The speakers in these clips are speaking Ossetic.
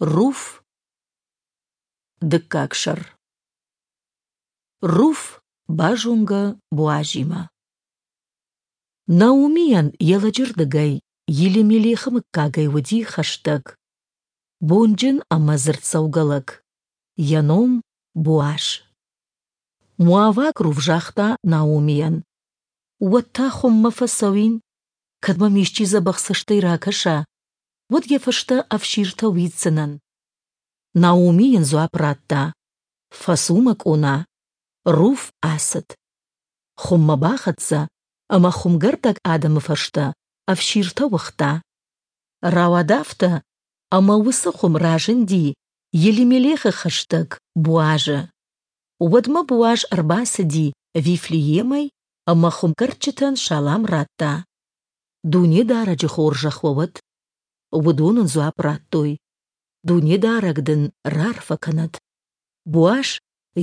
Руф, дыккаг сӕр. Руф базонгӕ Боазимӕ. Наумийӕн йӕ лӕджы рдыгӕй Елимелехы мыггагӕй уыди хӕстӕг, бонджын ӕмӕ дзырддзӕугӕ лӕг, йӕ ном Боаз. Моаваг Руф загъта Наумийӕн: «Уӕд та хуыммӕ фӕцӕуин, кӕд мӕм исчи дзӕбӕх цӕстӕй ракӕса, уӕд йӕ фӕстӕ ӕфсиртӕ уидздзынӕн». Наоми йын дзуапп радта: «Фӕцу, мӕ къона». Руф ацыд. Хуыммӕ бахӕццӕ ӕмӕ хуымгӕрдӕг адӕмы фӕстӕ ӕфсиртӕ уыгъта. Рауад афтӕ, ӕмӕ уыцы хуым разынди Елимелехы хӕстӕг Боазы. Уӕдмӕ Боаз ӕрбацыди Вифлеемӕй ӕмӕ хуымгӕрдджытӕн салам радта. Дунедарӕджы хорзӕх уӕ уӕд! Уыдон ын дзуапп радтой: Дунедарӕг дын раарфӕ кӕнӕд! Боаз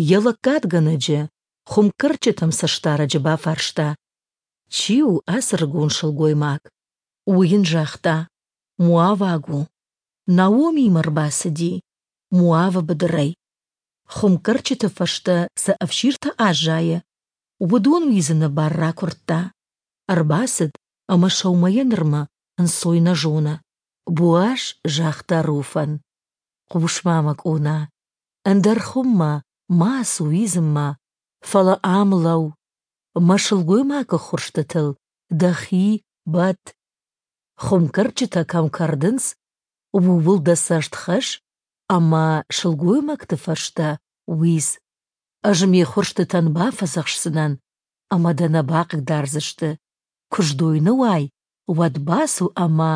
йӕ лӕггадгӕнӕджы, хуымкӕрдджытӕм цӕстдарӕджы бафарста: «Чи у ацы ӕрыгон сылгоймаг?» Уый йын загъта: «Моаваг у. Наомимӕ ӕрбацыди Моавы быдырӕй. Хуымкӕрдджыты фӕстӕ цы ӕфсиртӕ аззайы, уыдон уидзыны бар ракуырдта. Ӕрбацыд ӕмӕ сӕумӕйӕ нырмӕ ӕнцой нӕ зоны. Боаз загъта Руфӕн: «Хъус-ма, мӕ къона, ӕндӕр хуыммӕ ма ацу уидзынмӕ, фӕлӕ ам лӕуу, мӕ сылгоймаг ӕххуырстытыл дӕхи бӕтт. Хуымкӕрдджытӕ кӕм кӕрдынц, ууыл дӕ цӕст хӕсс ӕмӕ сылгоймӕгты фӕстӕ уидз. Ӕз ме ххуырстытӕн бафӕдзӕхсдзынӕн, ӕмӕ дӕ нӕ бахъыгдардзысты. Куы сдойны уай, уӕд бацу ӕмӕ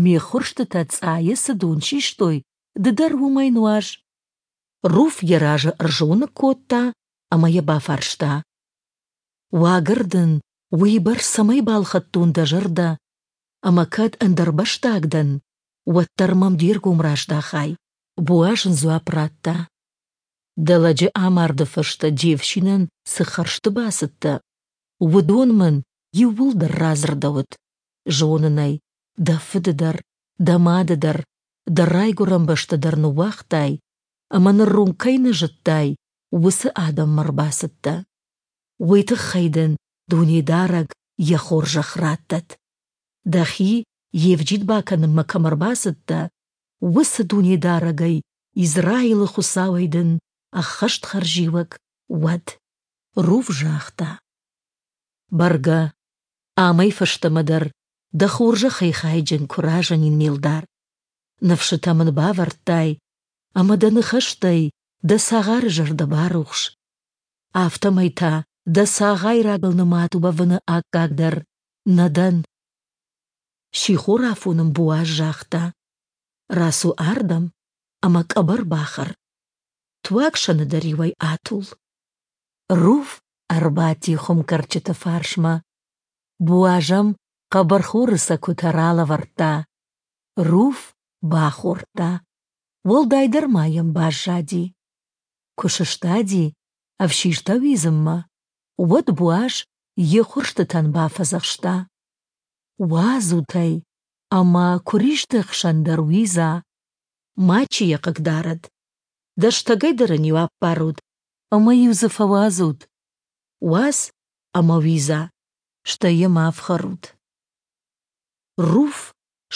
ме ххуырстытӕ цъайы цы дон систой, ды дӕр уымӕй нуаз. Руф йӕ разы ӕрзоныг кодта ӕмӕ йӕ бафарста: «Уагӕр дын уыйбӕрц цӕмӕй балхӕдтон дӕ зӕрдӕ, ӕмӕ кӕд ӕндӕрбӕстаг дӕн, уӕддӕр мӕм де ргом раздахай?» Боаз ын дзуапп радта: «Дӕ лӕджы амарды фӕстӕ де фсинӕн цы хӕрзты бацыдтӕ, уыдон мын иууылдӕр радзырдӕуыд. Зонын ӕй, дӕ фыды дӕр, дӕ мады дӕр, дӕ райгуырӕн бӕстӕ дӕр ныууагътай, ӕмӕ ныронг кӕй нӕ зыдтай, уыцы адӕммӕ ӕрбацыдтӕ. Уый тыххӕй дын Дунедарӕг йӕ хорзӕх раттӕд. Дӕхи йе вджид бакӕнынмӕ кӕм ӕрбацыдтӕ, уыцы Дунедарӕгӕй, Израилы Хуыцауӕй дын ӕххӕст хӕрзиуӕг уӕд. Руф загъта: Бӕргӕ, амӕй фӕстӕмӕ дӕр дӕ хорзӕхӕй хайджын куы разынин, ме лдар. Ныфсытӕ мын бавӕрдтай, ӕмӕ дӕ ныхӕстӕй дӕ цагъары зӕрдӕ барухс. Афтӕмӕй та дӕ цагъайрагыл нымад уӕвыны аккаг дӕр нӕ дӕн. Сихорафон ын Боаз загъта: «Рацу ардӕм ӕмӕ къӕбӕр бахӕр. Туаг сӕны дӕр иуӕй атул». Руф ӕрбадти хуымкӕрдджыты фарсмӕ. Боаз ӕм хъӕбӕрхоры цӕкуытӕ ралӕвӕрдта. Руф бахордта, уӕлдайдӕр ма йӕм баззади. Куы сыстади ӕфсиртӕ уидзынмӕ, уӕд Боаз йе ххуырстытӕн бафӕдзӕхста: «Уадзут ӕй, ӕмӕ куыристы хсӕн дӕр уидза, мачи йӕ хъыгдарӕд. Дӕстӕгӕй дӕр ын-иу аппарут ӕмӕ-иу дзы фӕуадзут. Уадз ӕмӕ уидза, стӕй йӕ ма ӕфхӕрут». Руф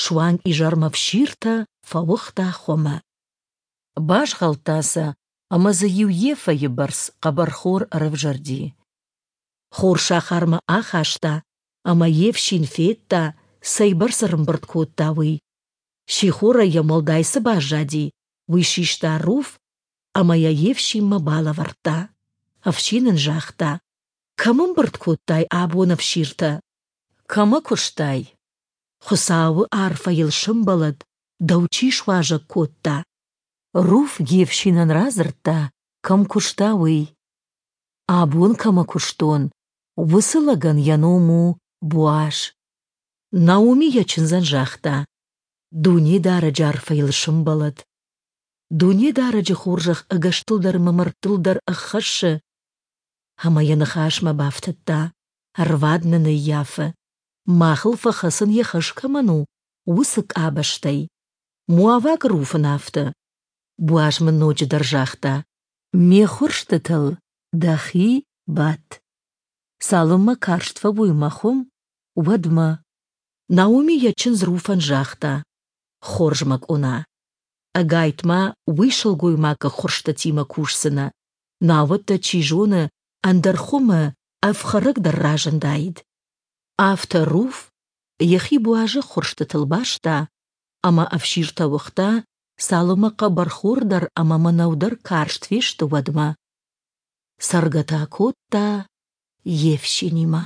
суанг изӕрмӕ ӕфсиртӕ фӕуыгъта хуымы. Базгъӕлдта сӕ ӕмӕ дзы иу ефӕйы бӕрц хъӕбӕрхор ӕрӕвзӕрди. Хор сахармӕ ахаста, ӕмӕ йе фсин федта, цӕйбӕрц ӕрӕмбырд кодта, уый. Сихорӕй йӕм уӕлдай цы баззади, уый систа Руф ӕмӕ йӕ йе фсинмӕ балӕвӕрдта. Ӕфсин ын загъта: «Кӕм ӕмбырд кодтай абон ӕфсиртӕ? Кӕмӕ куыстай? Хуыцауы арфӕ йыл сӕмбӕлӕд, дӕу чи суазӕг кодта?» Руф йе фсинӕн радзырдта, кӕм куыста, уый. «Абон кӕмӕ куыстон, уыцы лӕгӕн йӕ ном у Боаз». Наоми йӕ чындзӕн загъта: «Дунедарӕджы арфӕ йыл сӕмбӕлӕд. Дунедарӕджы хорзӕх ӕгӕстыл дӕр ӕмӕ мӕрдтыл дӕр ӕххӕссы». Ӕмӕ йӕ ныхасмӕ бафтыдта: «Ӕрвад нын ӕййафы, махыл фӕхӕцын йӕ хӕс кӕмӕн у, уыцы къабӕзтӕй». Моаваг Руф ын афтӕ: Боаз мын ноджыдӕр загъта: Ме ххуырстытыл дӕхи бӕтт, цалынмӕ карст фӕуой мӕ хуым, уӕдмӕ. Наоми йӕ чындз Руфӕн загъта: Хорз, мӕ къона, ӕгайтма уый сылгоймаг ӕххуырстытимӕ кусдзынӕ, науӕд дӕ, чи зоны, ӕндӕр хуымы ӕфхӕрӕг дӕр разындаид. Афтӕ Руф йӕхи Боазы ӕххуырстытыл баста ӕмӕ ӕфсиртӕ уыгъта, цалынмӕ хъӕбӕрхор дӕр ӕмӕ мӕнӕу дӕр карст фесты, уӕдмӕ. Цӕргӕ та кодта йе фсинимӕ.